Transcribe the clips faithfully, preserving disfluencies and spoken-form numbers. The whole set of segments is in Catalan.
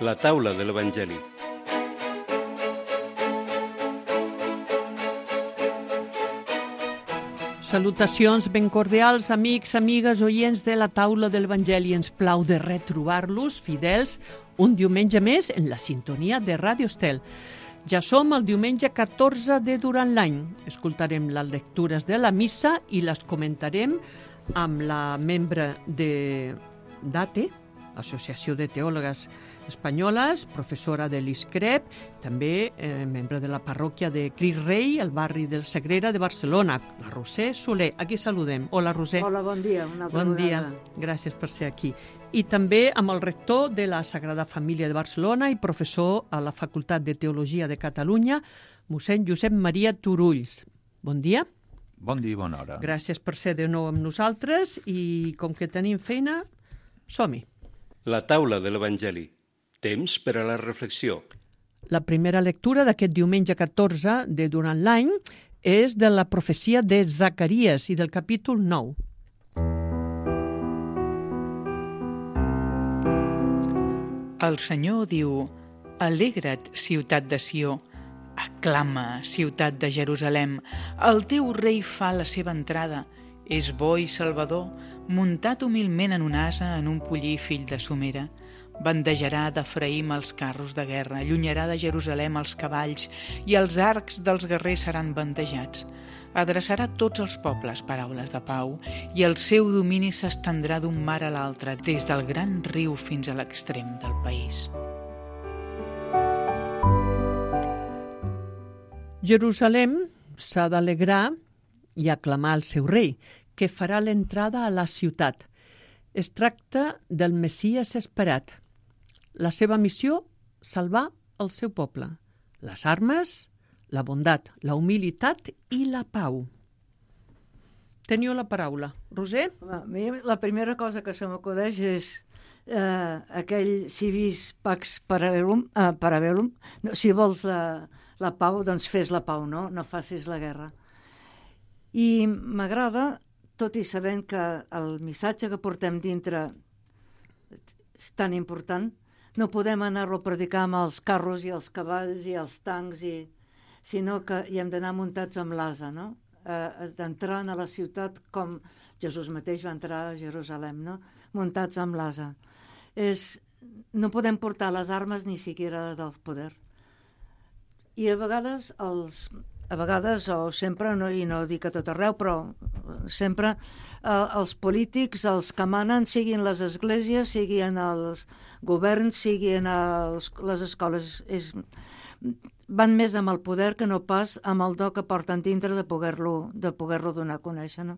La taula de l'Evangeli. Salutacions ben cordials, amics, amigues, oients de la taula de l'Evangeli. Ens plau de retrobar-los, fidels, un diumenge més en la sintonia de Ràdio Estel. Ja som el diumenge catorze de durant l'any. Escoltarem les lectures de la missa i les comentarem amb la membre de d'A T E, Associació de Teòlogues Espanyoles, professora de l'I S C R E P, també eh, membre de la parròquia de Cris Rei, al barri del Sagrera de Barcelona, la Roser Soler. Aquí saludem. Hola, Roser. Hola, bon dia. Una altra bon vegada. dia. Gràcies per ser aquí. I també amb el rector de la Sagrada Família de Barcelona i professor a la Facultat de Teologia de Catalunya, mossèn Josep Maria Turulls. Bon dia. Bon dia i bona hora. Gràcies per ser de nou amb nosaltres i com que tenim feina, som-hi. La taula de l'Evangeli. Temps per a la reflexió. La primera lectura d'aquest diumenge catorze de durant l'any és de la profecia de Zacaries i del capítol nou. El Senyor diu: Alegra't, ciutat de Sió, aclama, ciutat de Jerusalem, el teu rei fa la seva entrada, és bo i salvador, muntat humilment en un ase, en un pollí fill de somera. Bandejarà d'Efraïm els carros de guerra, allunyarà de Jerusalem els cavalls i els arcs dels guerrers seran bandejats. Adreçarà a tots els pobles paraules de pau i el seu domini s'estendrà d'un mar a l'altre, des del gran riu fins a l'extrem del país. Jerusalem s'ha d'alegrar i aclamar el seu rei, que farà l'entrada a la ciutat. Es tracta del Messies esperat. La seva missió, salvar el seu poble. Les armes, la bondat, la humilitat i la pau. Teniu la paraula. Roser? Home, a mi la primera cosa que se m'acudeix és eh, aquell civis pax parabellum, eh, parabellum. No, si vols la, la pau, doncs fes la pau, no? No facis la guerra. I m'agrada, tot i sabent que el missatge que portem dintre és tan important, no podem anar-lo a predicar amb els carros i els cavalls i els tancs, i, sinó que hi hem d'anar muntats amb l'ase, no? Eh, d'entrar a la ciutat com Jesús mateix va entrar a Jerusalem, no? Muntats amb l'ase. És, no podem portar les armes ni siquiera del poder. I a vegades els... A vegades, o sempre, no, i no dic a tot arreu, però sempre eh, els polítics, els que manen, siguin les esglésies, siguin els governs, siguin els, les escoles, és, van més amb el poder que no pas amb el do que porten dintre de poder-lo de poder-lo donar a conèixer, no?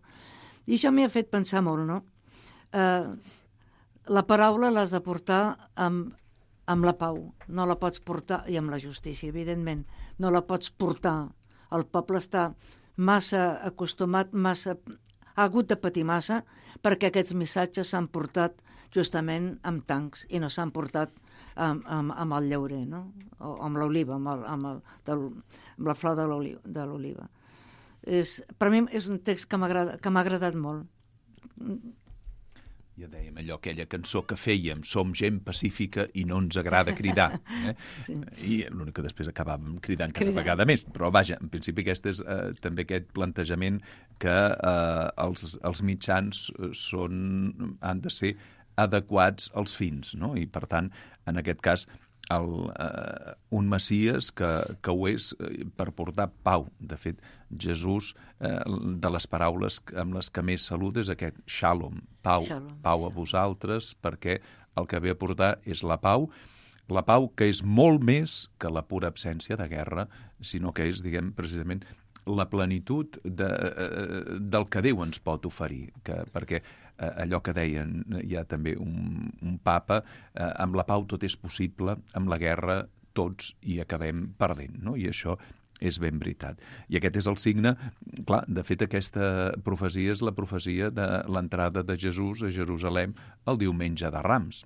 I això m'hi ha fet pensar molt, no? Eh, la paraula l'has de portar amb, amb la pau, no la pots portar, i amb la justícia, evidentment, no la pots portar. El poble està massa acostumat, massa, ha hagut de patir massa perquè aquests missatges s'han portat justament amb tancs i no s'han portat amb, amb, amb el llaurer, no? O amb l'oliva, amb, el, amb, el, del, amb la flor de l'oliva. És, per mi és un text que m'ha agradat molt. Ja dèiem allò, aquella cançó que fèiem, som gent pacífica i no ens agrada cridar. Eh? Sí. I l'únic que després acabàvem cridant cada cridar. vegada més. Però vaja, en principi aquest és eh, també aquest plantejament que eh, els, els mitjans són, han de ser adequats als fins, no? I per tant, en aquest cas, el, eh, un Messies que, que ho és eh, per portar pau. De fet, Jesús, eh, de les paraules amb les que més saluda és aquest shalom, pau, shalom. Pau a vosaltres, perquè el que ve a portar és la pau, la pau que és molt més que la pura absència de guerra, sinó que és, diguem, precisament la plenitud de, eh, del que Déu ens pot oferir, que, perquè eh, allò que deien ja també un, un papa, eh, amb la pau tot és possible, amb la guerra tots hi acabem perdent, no? I això és ben veritat. I aquest és el signe, clar, de fet aquesta profecia és la profecia de l'entrada de Jesús a Jerusalem el diumenge de Rams.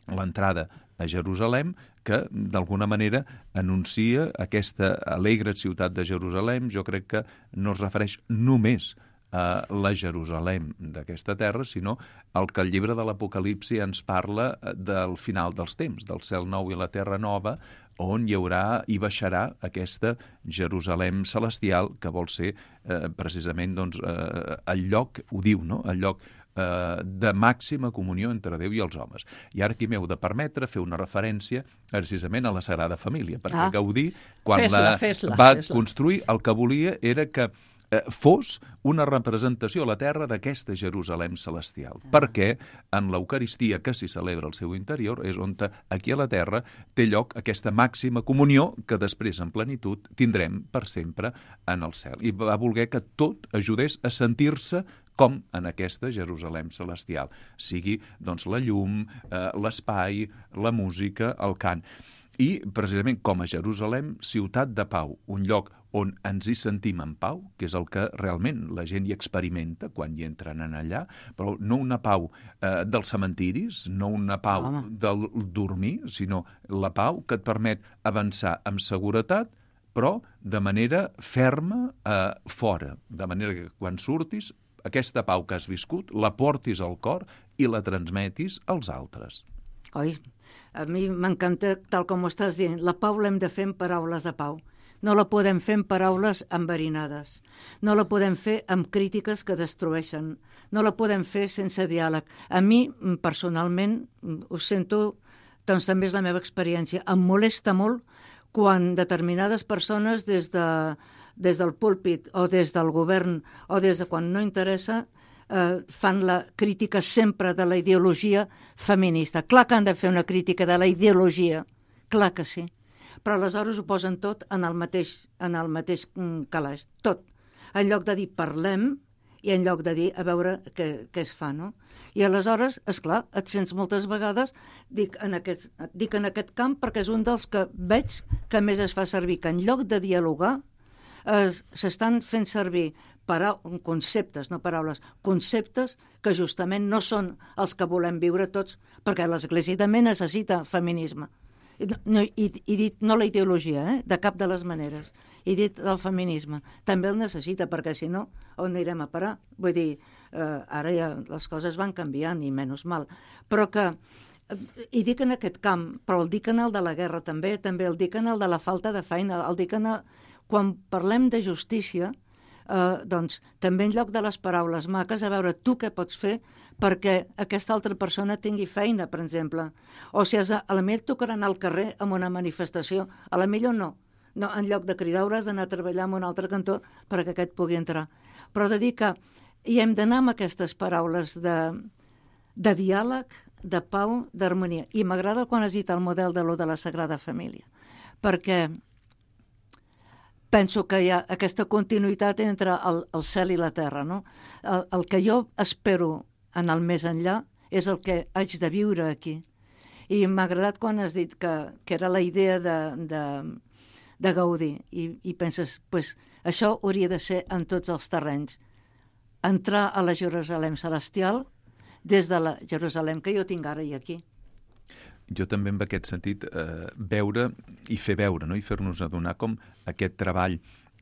L'entrada a Jerusalem que, d'alguna manera, anuncia aquesta alegre ciutat de Jerusalem. Jo crec que no es refereix només eh, la Jerusalem d'aquesta terra, sinó el que el llibre de l'Apocalipsi ens parla del final dels temps, del cel nou i la terra nova, on hi haurà i baixarà aquesta Jerusalem celestial, que vol ser eh, precisament doncs, eh, el lloc, ho diu, no? El lloc eh, de màxima comunió entre Déu i els homes. I ara aquí m'heu de permetre fer una referència precisament a la Sagrada Família, perquè Ah. Gaudí, quan Fes-la, la fes-la, va fes-la. construir, el que volia era que eh, fos una representació a la terra d'aquesta Jerusalem celestial, ah. perquè en l'Eucaristia que s'hi celebra al seu interior és on aquí a la terra té lloc aquesta màxima comunió que després en plenitud tindrem per sempre en el cel. I va voler que tot ajudés a sentir-se com en aquesta Jerusalem celestial, sigui doncs, la llum, eh, l'espai, la música, el cant. I, precisament, com a Jerusalem, ciutat de pau, un lloc on ens hi sentim en pau, que és el que realment la gent hi experimenta quan hi entren en allà, però no una pau eh, dels cementiris, no una pau Home. del dormir, sinó la pau que et permet avançar amb seguretat, però de manera ferma eh, fora, de manera que quan surtis, aquesta pau que has viscut la portis al cor i la transmetis als altres. Oi? A mi m'encanta, tal com ho estàs dient, la pau l'hem de fer amb paraules de pau. No la podem fer amb paraules enverinades. No la podem fer amb crítiques que destrueixen. No la podem fer sense diàleg. A mi, personalment, ho sento, doncs també és la meva experiència. Em molesta molt quan determinades persones des, de, des del púlpit o des del govern o des de quan no interessa eh, fan la crítica sempre de la ideologia feminista. Clar que han de fer una crítica de la ideologia, clar que sí, però aleshores ho posen tot en el mateix, en el mateix calaix, tot. En lloc de dir parlem i en lloc de dir a veure què, què es fa, no? I aleshores, esclar, et sents moltes vegades, dic en, aquest, dic en aquest camp perquè és un dels que veig que més es fa servir, que en lloc de dialogar eh, s'estan fent servir para, conceptes, no paraules, conceptes que justament no són els que volem viure tots, perquè l'Església també necessita feminisme. No, i, i dit no la ideologia, eh? De cap de les maneres. I dit el feminisme. També el necessita, perquè si no, on anirem a parar? Vull dir, eh, ara ja les coses van canviant, i menys mal. Però que, eh, i dic en aquest camp, però el dic en el de la guerra també, també el dic en el de la falta de feina, el dic en el... Quan parlem de justícia, eh, doncs també en lloc de les paraules maques, a veure tu què pots fer perquè aquesta altra persona tingui feina, per exemple. O si has de, a la millor tocarà anar al carrer amb una manifestació, a la millor no. No, en lloc de cridar hauràs d'anar a treballar en un altre cantó perquè aquest pugui entrar. Però de dir que hi hem d'anar amb aquestes paraules de, de diàleg, de pau, d'harmonia. I m'agrada quan has dit el model de lo de la Sagrada Família, perquè penso que hi ha aquesta continuïtat entre el, el cel i la terra, no? El, el que jo espero en el més enllà és el que haig de viure aquí. I m'ha agradat quan has dit que, que era la idea de, de, de Gaudí, i, i penses, pues, això hauria de ser en tots els terrenys. Entrar a la Jerusalem celestial des de la Jerusalem que jo tinc ara i aquí. Jo també en aquest sentit eh, veure i fer veure, no? I fer-nos adonar com aquest treball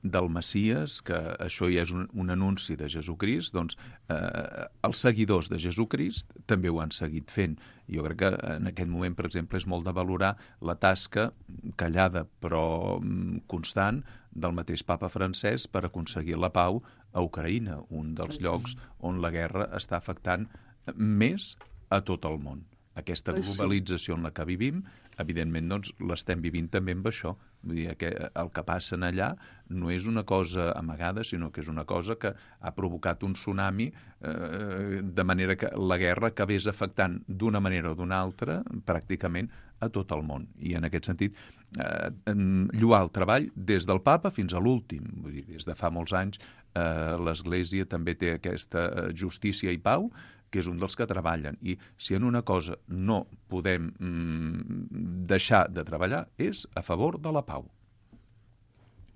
del Messies, que això ja és un, un anunci de Jesucrist, doncs eh, els seguidors de Jesucrist també ho han seguit fent. Jo crec que en aquest moment, per exemple, és molt de valorar la tasca callada però constant del mateix papa francès per aconseguir la pau a Ucraïna, un dels llocs on la guerra està afectant més a tot el món. Aquesta globalització en la que vivim, evidentment, doncs, l'estem vivint també amb això. Vull dir que el que passa allà no és una cosa amagada, sinó que és una cosa que ha provocat un tsunami, eh, de manera que la guerra acabés afectant d'una manera o d'una altra pràcticament a tot el món. I en aquest sentit, eh, lloar el treball des del papa fins a l'últim. Vull dir, des de fa molts anys eh, l'Església també té aquesta justícia i pau, que és un dels que treballen. I si en una cosa no podem mm, deixar de treballar és a favor de la pau.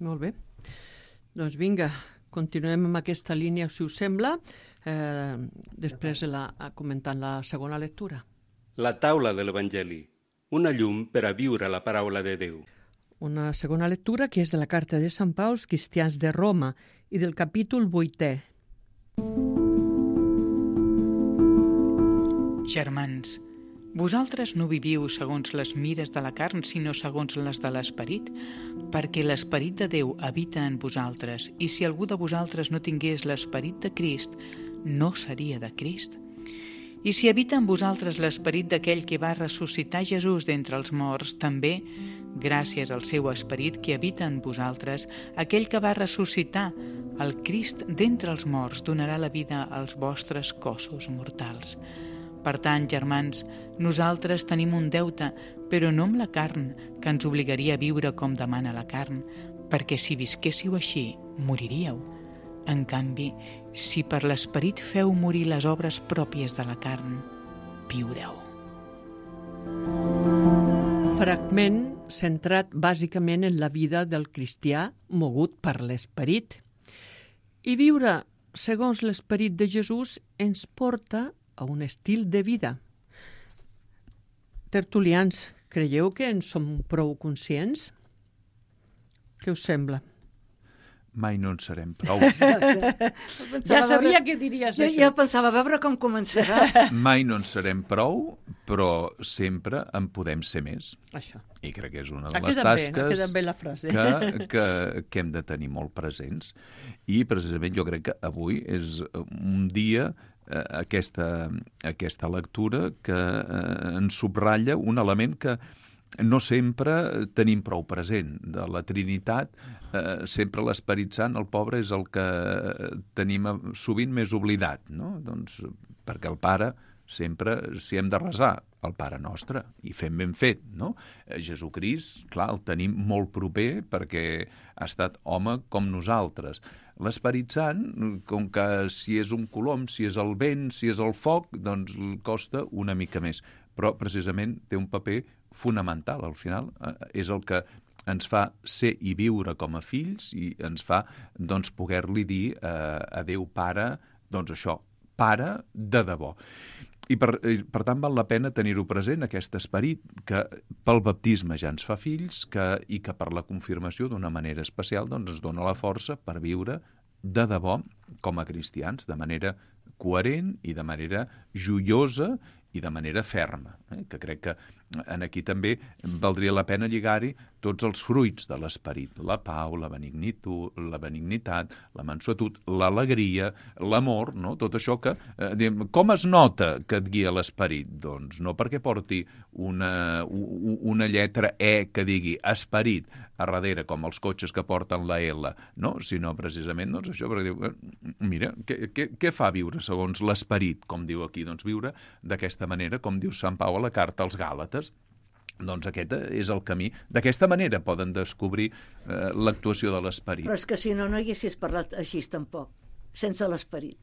Molt bé. Doncs vinga, continuem amb aquesta línia, si us sembla, eh, després la, comentant la segona lectura. La taula de l'Evangeli, una llum per a viure la paraula de Déu. Una segona lectura que és de la carta de Sant Pau als cristians de Roma i del capítol vuitè. Germans, vosaltres no viviu segons les mires de la carn, sinó segons les de l'esperit, perquè l'esperit de Déu habita en vosaltres, i si algú de vosaltres no tingués l'esperit de Crist, no seria de Crist. I si habita en vosaltres l'esperit d'aquell que va ressuscitar Jesús d'entre els morts, també, gràcies al seu esperit que habita en vosaltres, aquell que va ressuscitar el Crist d'entre els morts donarà la vida als vostres cossos mortals. Per tant, germans, nosaltres tenim un deute, però no amb la carn, que ens obligaria a viure com demana la carn, perquè si visquéssiu així, moriríeu. En canvi, si per l'esperit feu morir les obres pròpies de la carn, viureu. Fragment centrat bàsicament en la vida del cristià mogut per l'esperit. I viure segons l'esperit de Jesús ens porta a un estil de vida. Tertulians, creieu que en som prou conscients? Què us sembla? Mai no en serem prou. Ja sabia que diries jo, això. jo pensava, a veure com començarà. Mai no en serem prou, però sempre en podem ser més. Això. I crec que és una de Ha les quedat bé, ha tasques quedat bé la frase. que, que, que hem de tenir molt presents. I precisament jo crec que avui és un dia, eh, aquesta, aquesta lectura, que eh, ens subratlla un element que no sempre tenim prou present. De la Trinitat, eh, sempre l'Esperit Sant, el pobre, és el que tenim sovint més oblidat, no? Doncs perquè el Pare sempre, si hem de resar, el Pare Nostre, i fem ben fet, no? Jesucrist, clar, el tenim molt proper perquè ha estat home com nosaltres. L'Esperit Sant, com que si és un colom, si és el vent, si és el foc, doncs costa una mica més. Però precisament té un paper fonamental, al final. Eh, és el que ens fa ser i viure com a fills i ens fa, doncs, poder-li dir eh, a Déu Pare, doncs això, Pare de debò. I per, per tant val la pena tenir-ho present, aquest esperit que pel baptisme ja ens fa fills que, i que per la confirmació d'una manera especial doncs, ens dona la força per viure de debò com a cristians, de manera coherent i de manera joiosa i de manera ferma, eh? Que crec que en aquí també valdria la pena lligar-hi tots els fruits de l'esperit, la pau, la benignitud, la benignitat, la mansuetud, l'alegria, l'amor, no? Tot això que... Eh, diem, com es nota que et guia l'esperit? Doncs no perquè porti una, una lletra E que digui esperit a darrere, com els cotxes que porten la L, no? Sinó precisament doncs això, perquè diu, mira, què, què, què fa viure segons l'esperit, com diu aquí? Doncs viure d'aquesta manera, com diu Sant Pau a la carta als Gàlates. Doncs aquest és el camí. D'aquesta manera poden descobrir eh, l'actuació de l'esperit. Però és que si no, no haguessis parlat així tampoc, sense l'esperit.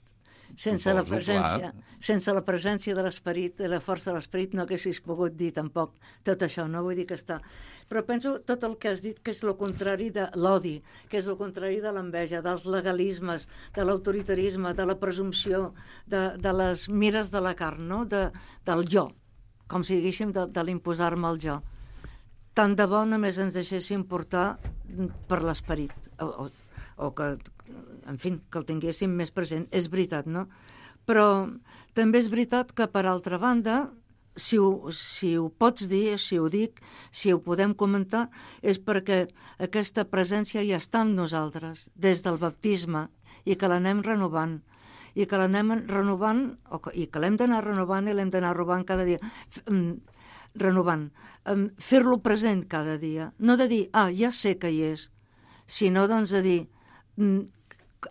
Sense la presència, sense la presència de l'esperit, de la força de l'esperit, no haguessis pogut dir tampoc tot això, no vull dir que està. Però penso tot el que has dit que és el contrari de l'odi, que és el contrari de l'enveja, dels legalismes, de l'autoritarisme, de la presumpció, de, de les mires de la carn, no? de, del jo, com si diguéssim de, de l'imposar-me el jo. Tant de bo només ens deixéssim portar per l'esperit, o, o, o que, en fi, que el tinguéssim més present. És veritat, no? Però també és veritat que, per altra banda, si ho, si ho pots dir, si ho dic, si ho podem comentar, és perquè aquesta presència ja està amb nosaltres, des del baptisme, i que l'anem renovant. i que l'anem renovant, o que, i que l'hem d'anar renovant i l'hem d'anar renovant cada dia, renovant, fer-lo present cada dia, no de dir, ah, ja sé que hi és, sinó doncs de dir,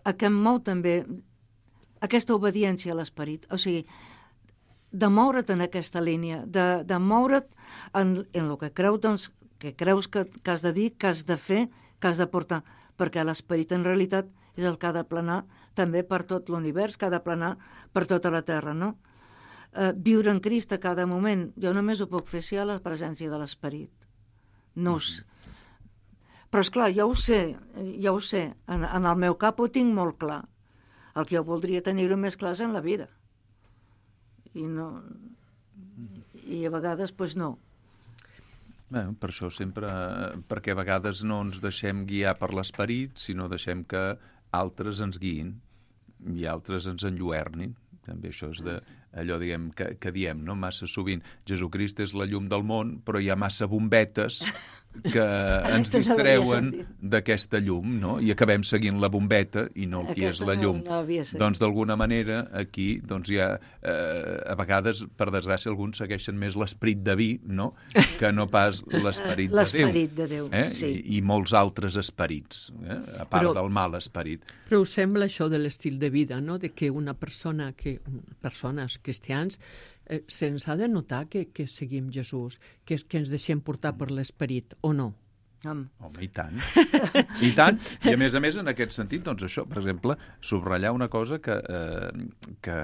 a què em mou també aquesta obediència a l'esperit, o sigui, de moure't en aquesta línia, de, de moure't en, en el que creus, doncs, que creus que, que has de dir, que has de fer, que has de portar, perquè l'esperit en realitat és el que ha de planar també per tot l'univers, que ha de planar per tota la Terra, no? Eh, viure en Crist a cada moment, jo només ho puc fer si hi ha la presència de l'esperit. No ho sé. Però, esclar, jo ho sé, ja ho sé, en, en el meu cap ho tinc molt clar. El que jo voldria tenir-ho més clar és en la vida. I no... I a vegades, doncs, no. Bé, per això sempre, perquè a vegades no ens deixem guiar per l'esperit, sinó deixem que altres ens guiïn. i altres ens enlluernin. També això és de, allò diguem, que, que diem, no? Massa sovint, Jesucrist és la llum del món, però hi ha massa bombetes que ens distreuen d'aquesta llum, no? I acabem seguint la bombeta i no el que és la llum. No, no doncs, d'alguna manera, aquí, doncs, hi ha, eh, a vegades, per desgràcia, alguns segueixen més l'esperit de vi, no?, que no pas l'esperit de Déu. L'esperit de Déu, eh? sí. I, I molts altres esperits, eh? A part però, del mal esperit. Però us sembla això de l'estil de vida, no?, de que una persona, que persones cristians, eh, se'ns ha de notar que, que seguim Jesús, que, que ens deixem portar per l'esperit, o no? Home. Home, i tant. I tant. I a més a més, en aquest sentit, doncs això, per exemple, subratllar una cosa que, eh, que,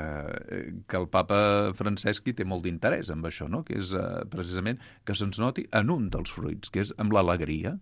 que el papa Francesc hi té molt d'interès amb això, no?, que és eh, precisament que se'ns noti en un dels fruits, que és amb l'alegria.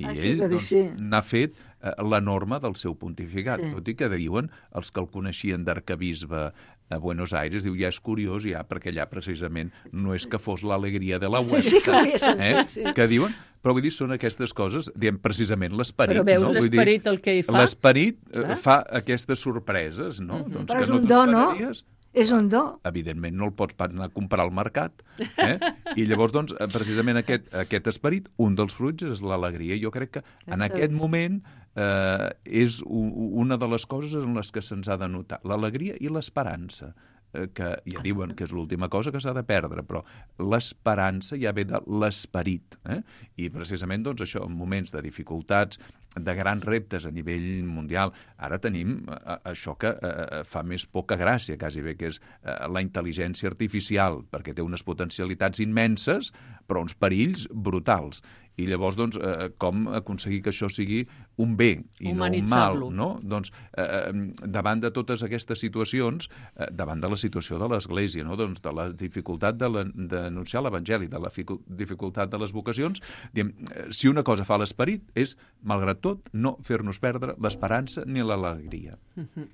I ah, ell sí, doncs, sí. n'ha fet eh, la norma del seu pontificat. Sí. Tot i que diuen els que el coneixien d'arcabisbe a Buenos Aires, diu, ja és curiós, ja, perquè allà precisament no és que fos l'alegria de la Huerta. Sí, que ho havia sentit, eh? sí. Que diuen, però vull dir, són aquestes coses, diem precisament l'esperit. Però veus no? l'esperit el que hi fa? L'esperit eh, Clar. fa aquestes sorpreses, no? Mm-hmm. Doncs però que és no un do, no? t'esperaries. És un do. Evidentment no el pots pas anar a comprar al mercat. Eh? I llavors, doncs, precisament aquest, aquest esperit, un dels fruits és l'alegria. Jo crec que en aquest moment eh, és una de les coses en les que se'ns ha de notar. L'alegria i l'esperança, eh, que ja diuen que és l'última cosa que s'ha de perdre, però l'esperança ja ve de l'esperit. Eh? I precisament, doncs, això, en moments de dificultats, de grans reptes a nivell mundial. Ara tenim eh, això que eh, fa més poca gràcia, quasi bé, que és eh, la intel·ligència artificial, perquè té unes potencialitats immenses, però uns perills brutals. I llavors, doncs, eh, com aconseguir que això sigui un bé i no un mal, no? Doncs, eh, davant de totes aquestes situacions, eh, davant de la situació de l'Església, no? Doncs, de la dificultat d'anunciar l'Evangeli, de la dificultat de les vocacions, diem, eh, si una cosa fa l'esperit és, malgrat tot, no fer-nos perdre l'esperança ni l'alegria. Mm-hmm.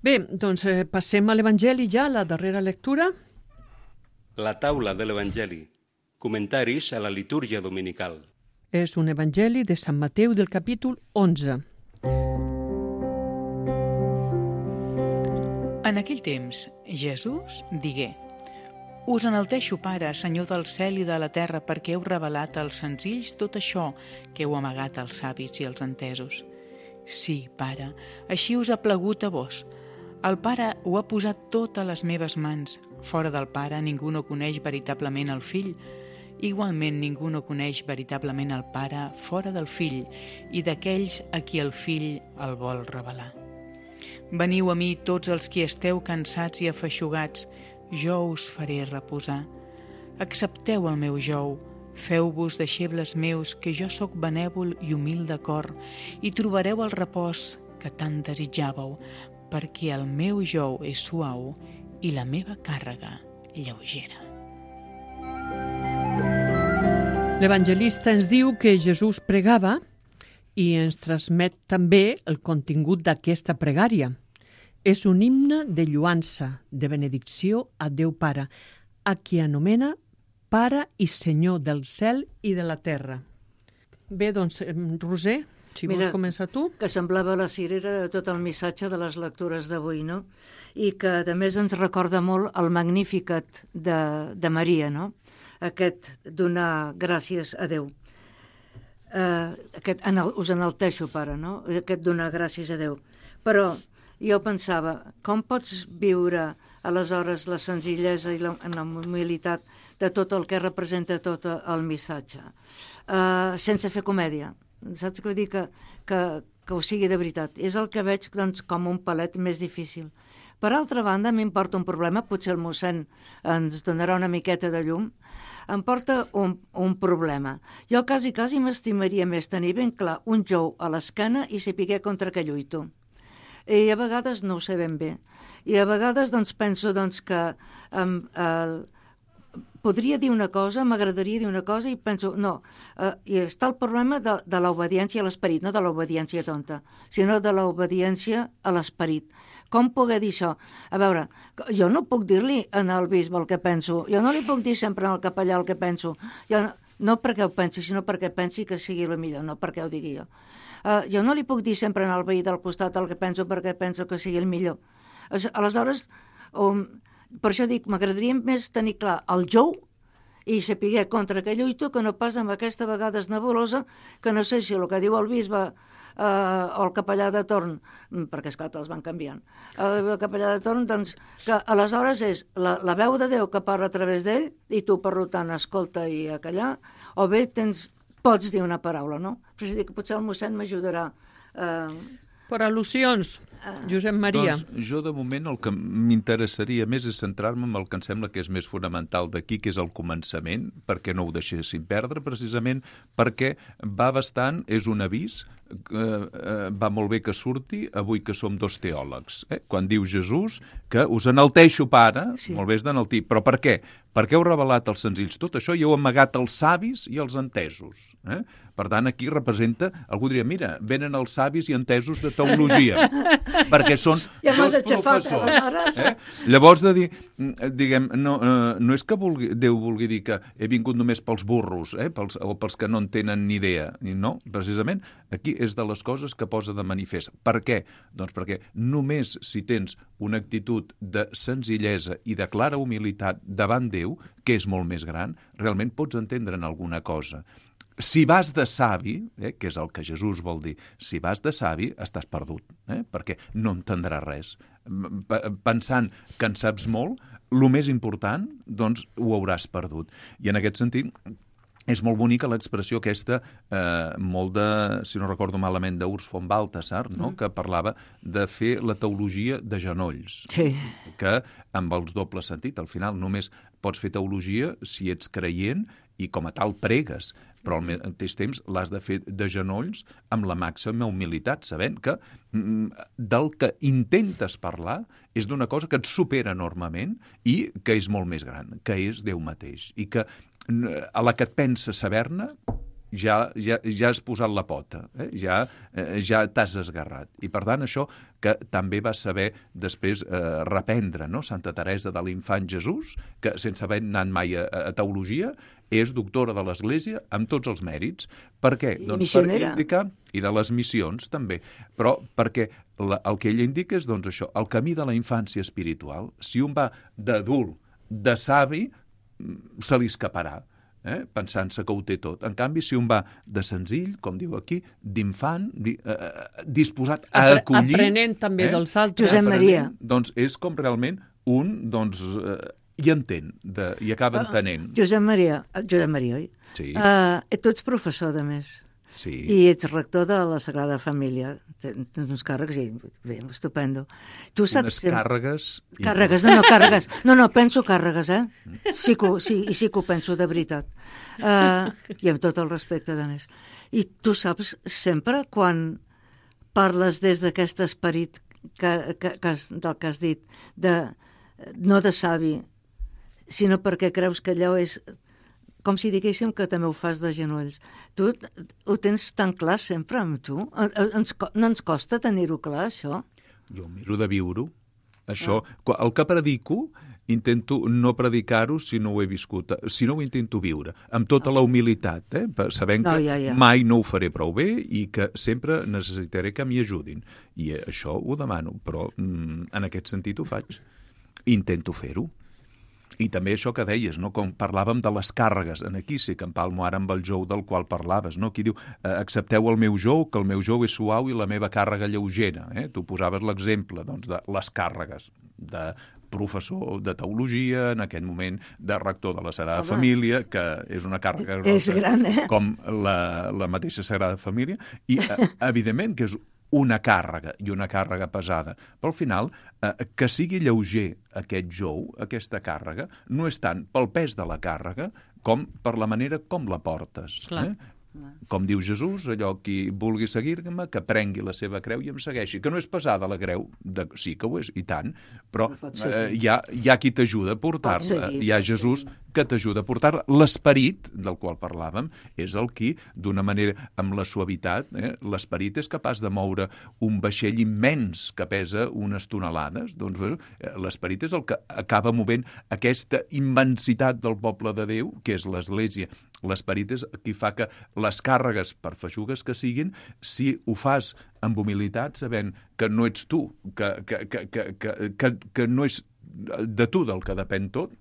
Bé, doncs eh, passem a l'Evangeli ja, la darrera lectura. La taula de l'Evangeli. Comentaris a la litúrgia dominical. És un Evangeli de Sant Mateu del capítol onze. En aquell temps, Jesús digué: Us enalteixo, Pare, Senyor del cel i de la terra, perquè heu revelat als senzills tot això que heu amagat als savis i als entesos. Sí, Pare, així us ha plagut a vos. El Pare ho ha posat tot a les meves mans. Fora del Pare ningú no coneix veritablement el Fill. Igualment ningú no coneix veritablement el Pare fora del Fill i d'aquells a qui el Fill el vol revelar. Veniu a mi tots els qui esteu cansats i afeixugats, jo us faré reposar. Accepteu el meu jou, feu-vos deixebles meus, que jo sóc benèvol i humil de cor, i trobareu el repòs que tant desitjàveu, perquè el meu jou és suau i la meva càrrega lleugera. L'evangelista ens diu que Jesús pregava i ens transmet també el contingut d'aquesta pregària. És un himne de lluança, de benedicció a Déu Pare, a qui anomena Pare i Senyor del cel i de la terra. Bé, doncs, Roser, si Mira, vols començar tu. Que semblava la cirera de tot el missatge de les lectures d'avui, no? I que a més ens recorda molt el Magnificat de, de Maria, no? Aquest donar gràcies a Déu. Uh, aquest, en el, us enalteixo, Pare, no? Aquest donar gràcies a Déu. Però jo pensava, com pots viure aleshores la senzillesa i la, la humilitat de tot el que representa tot el missatge, uh, sense fer comèdia? Saps què vull dir? Que, que, que ho sigui de veritat. És el que veig, doncs, com un palet més difícil. Per altra banda, m'importa un problema, potser el mossèn ens donarà una miqueta de llum, em porta un, un problema. Jo quasi, quasi m'estimaria més tenir ben clar un jou a l'esquena i saber contra què lluito. I a vegades no ho sé ben bé. I a vegades doncs, penso doncs, que um, uh, podria dir una cosa, m'agradaria dir una cosa i penso, no, uh, i està el problema de, de l'obediència a l'esperit, no de l'obediència tonta, sinó de l'obediència a l'esperit. Com poder dir això? A veure, jo no puc dir-li en el bisbe el que penso, jo no li puc dir sempre al capellà el que penso, jo, no perquè ho pensi, sinó perquè pensi que sigui el millor, no perquè ho digui jo. Uh, jo no li puc dir sempre al veí del costat el que penso perquè penso que sigui el millor. Aleshores, um, per això dic, m'agradaria més tenir clar el jou i saber contra què lluito, que no pas amb aquesta vegada nebulosa, que no sé si el que diu el bisbe eh, o el capellà de torn, perquè esclar, els van canviant, el capellà de torn, doncs, que aleshores és la, la veu de Déu que parla a través d'ell, i tu, per tant, escolta i a callar, o bé tens, pots dir una paraula, no? Però és a dir, que potser el mossèn m'ajudarà. Eh... Per al·lusions, Josep Maria. Doncs jo, de moment, el que m'interessaria més és centrar-me en el que em sembla que és més fonamental d'aquí, que és el començament, perquè no ho deixéssim perdre, precisament perquè va bastant, és un avís, eh, eh, va molt bé que surti avui que som dos teòlegs. Eh? Quan diu Jesús que us enalteixo, pare, sí. Molt bé és d'enaltir, però per què? Perquè heu revelat als senzills tot això i heu amagat els savis i els entesos. Eh? Per tant, aquí representa, algú diria, mira, venen els savis i entesos de teologia, perquè són ja dos professors. Eh? Llavors, de dir, diguem, no, no és que vulgui, Déu vulgui dir que he vingut només pels burros, eh? pels, o pels que no en tenen ni idea. No, precisament, aquí és de les coses que posa de manifest. Per què? Doncs perquè només si tens una actitud de senzillesa i de clara humilitat davant Déu, que és molt més gran, realment pots entendre'n alguna cosa. Si vas de savi, eh, que és el que Jesús vol dir, si vas de savi, estàs perdut, eh, perquè no entendràs res. Pensant que en saps molt, el més important, doncs, ho hauràs perdut. I en aquest sentit, és molt bonica l'expressió aquesta, eh, molt de, si no recordo malament, d'Urs von Balthasar, no? Mm. que parlava de fer la teologia de genolls. Sí. Que amb els dobles sentit, al final només pots fer teologia si ets creient i com a tal pregues, però al mateix temps l'has de fer de genolls amb la màxima humilitat, sabent que mm, del que intentes parlar és d'una cosa que et supera enormement i que és molt més gran, que és Déu mateix, i que a la que et penses saber-ne ja, ja, ja has posat la pota, eh? ja, eh, ja t'has esgarrat. I per tant això que també va saber després eh, reprendre, no? Santa Teresa de l'Infant Jesús, que sense haver anat mai a, a teologia, és doctora de l'Església amb tots els mèrits. Per què? I doncs missionera. per indicar, i de les missions també, però perquè la, el que ella indica és doncs això, el camí de la infància espiritual. Si un va d'adult, de savi, se li escaparà. Eh? Pensant-se que ho té tot. En canvi, si un va de senzill, com diu aquí, d'infant, di, eh, disposat a Apre acollir... Aprenent també eh? dels altres. Josep Maria. Doncs és com realment un, doncs, eh, hi entén, de, i acaba entenent. Josep Maria, Josep Maria, oi? Sí. Uh, tu ets professor, de més. Sí. I ets rector de la Sagrada Família. Tens uns càrrecs i bé, estupendo. Tu saps Unes que... càrregues... Càrregues, no, no, càrregues. No, no, penso càrregues, eh? Sí que, sí, i sí que ho penso, de veritat. Uh, I amb tot el respecte, de més. I tu saps sempre quan parles des d'aquest esperit que, que, que has, del que has dit, de, no de savi, sinó perquè creus que allò és... com si diguéssim que també ho fas de genolls. Tu ho tens tan clar sempre amb tu? Ens, no ens costa tenir-ho clar, això? Jo miro de viure-ho. Això, ah. El que predico, intento no predicar-ho si no ho he viscut, si no ho intento viure, amb tota la humilitat, eh? Sabent no, que ja, ja. mai no ho faré prou bé i que sempre necessitaré que m'hi ajudin. I això ho demano, però mm, en aquest sentit ho faig. Intento fer-ho. I també això que deies, no? Com parlàvem de les càrregues, en aquí sí que empalmo ara amb el jou del qual parlaves, no? Aquí diu, eh, accepteu el meu jou, que el meu jou és suau i la meva càrrega lleugera. Eh? Tu posaves l'exemple doncs, de les càrregues de professor de teologia, en aquest moment de rector de la Sagrada Home. Família, que és una càrrega grossa, és gran, eh? com la, la mateixa Sagrada Família, i eh, evidentment que és una càrrega i una càrrega pesada. Però al final, eh, que sigui lleuger aquest jou, aquesta càrrega, no és tant pel pes de la càrrega com per la manera com la portes. Clar. Eh? Com diu Jesús, allò qui vulgui seguir-me, que prengui la seva creu i em segueixi. Que no és pesada la creu, de... sí que ho és, i tant, però eh, hi, ha, hi ha qui t'ajuda a portar-la. Hi ha Jesús que t'ajuda a portar l'esperit del qual parlàvem, és el qui, d'una manera amb la suavitat, eh, l'esperit és capaç de moure un vaixell immens que pesa unes tonelades. Doncs bueno, l'esperit és el que acaba movent aquesta immensitat del poble de Déu, que és l'Església. L'esperit és qui fa que les càrregues, per feixugues que siguin, si ho fas amb humilitat, sabent que no ets tu, que, que, que, que, que, que, que no és de tu del que depèn tot,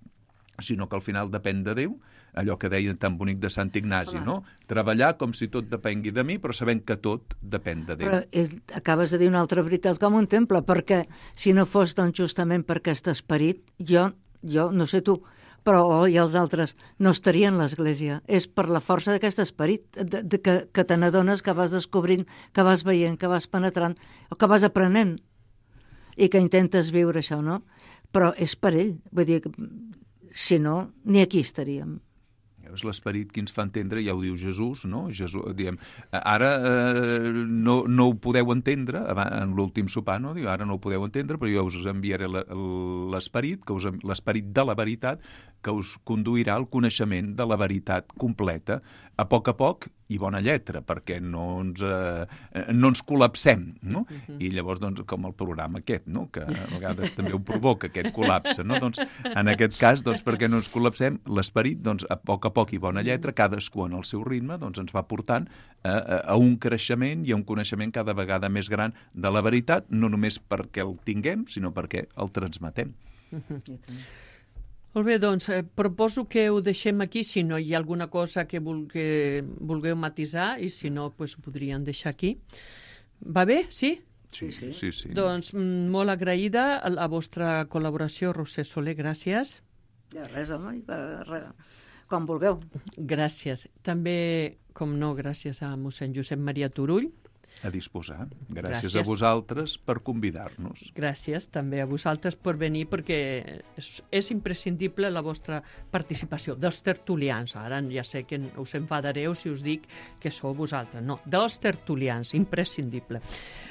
sinó que al final depèn de Déu, allò que deia tan bonic de Sant Ignasi, no? Treballar com si tot depengui de mi, però sabent que tot depèn de Déu. Però eh, acabes de dir una altra veritat com un temple, perquè si no fos doncs justament per aquest esperit, jo, jo no sé tu, però i els altres no estarien a l'Església. És per la força d'aquest esperit de, de, que, que te n'adones, que vas descobrint, que vas veient, que vas penetrant, o que vas aprenent, i que intentes viure això, no? Però és per ell. Vull dir, si no, ni aquí estaríem. És l'esperit que ens fa entendre, ja ho diu Jesús, no? Jesús, diem, ara eh, no, no ho podeu entendre, en l'últim sopar, no? Diu, ara no ho podeu entendre, però jo us enviaré l'esperit, que us, l'esperit de la veritat, que us conduirà al coneixement de la veritat completa, a poc a poc i bona lletra, perquè no ens, eh, no ens col·lapsem, no? Uh-huh. I llavors, doncs, com el programa aquest, no? Que a vegades també ho provoca, aquest col·lapse, no? Doncs, en aquest cas, doncs, perquè no ens col·lapsem, l'esperit, doncs, a poc a poc i bona lletra, cadascú en el seu ritme, doncs, ens va portant a, a, a un creixement i a un coneixement cada vegada més gran de la veritat, no només perquè el tinguem, sinó perquè el transmetem. Uh-huh. Molt bé, doncs, eh, proposo que ho deixem aquí, si no hi ha alguna cosa que, vulgue, vulgueu matisar, i si no, pues, ho podríem deixar aquí. Va bé? Sí? Sí, sí. sí, sí. Doncs molt agraïda a la vostra col·laboració, Roser Soler, gràcies. De res, home, res. Com vulgueu. Gràcies. També, com no, gràcies a mossèn Josep Maria Turull. A disposar. Gràcies, Gràcies a vosaltres per convidar-nos. Gràcies també a vosaltres per venir, perquè és, és imprescindible la vostra participació, dels tertulians. Ara ja sé que us enfadareu si us dic que sou vosaltres. No, dels tertulians, imprescindible.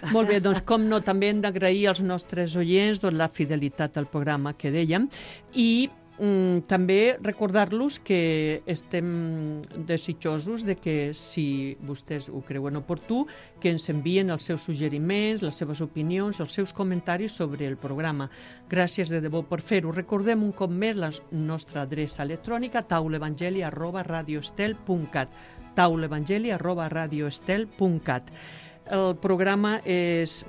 Molt bé, doncs com no, també hem d'agrair als nostres oients doncs, la fidelitat al programa que dèiem, i Mm, també recordar-los que estem desitjosos de que, si vostès ho creuen oportú, que ens envien els seus suggeriments, les seves opinions, els seus comentaris sobre el programa. Gràcies de debò per fer-ho. Recordem un cop més la nostra adreça electrònica, taulevangeli arroba radioestel punt cat, taulevangeli arroba radioestel punt cat. El programa és,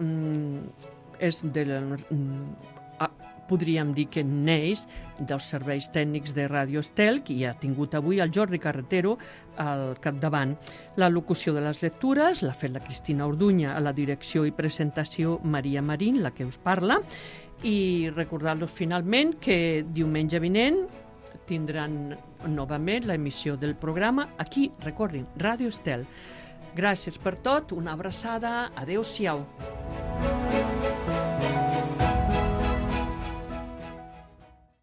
és de la... podríem dir que neix dels serveis tècnics de Ràdio Estel, que hi ha tingut avui el Jordi Carretero al capdavant. La locució de les lectures l'ha fet la Cristina Orduña, a la direcció i presentació Maria Marín, la que us parla, i recordar-los finalment que diumenge vinent tindran novament l'emissió del programa aquí, recordin, Ràdio Estel. Gràcies per tot, una abraçada, adeu-siau.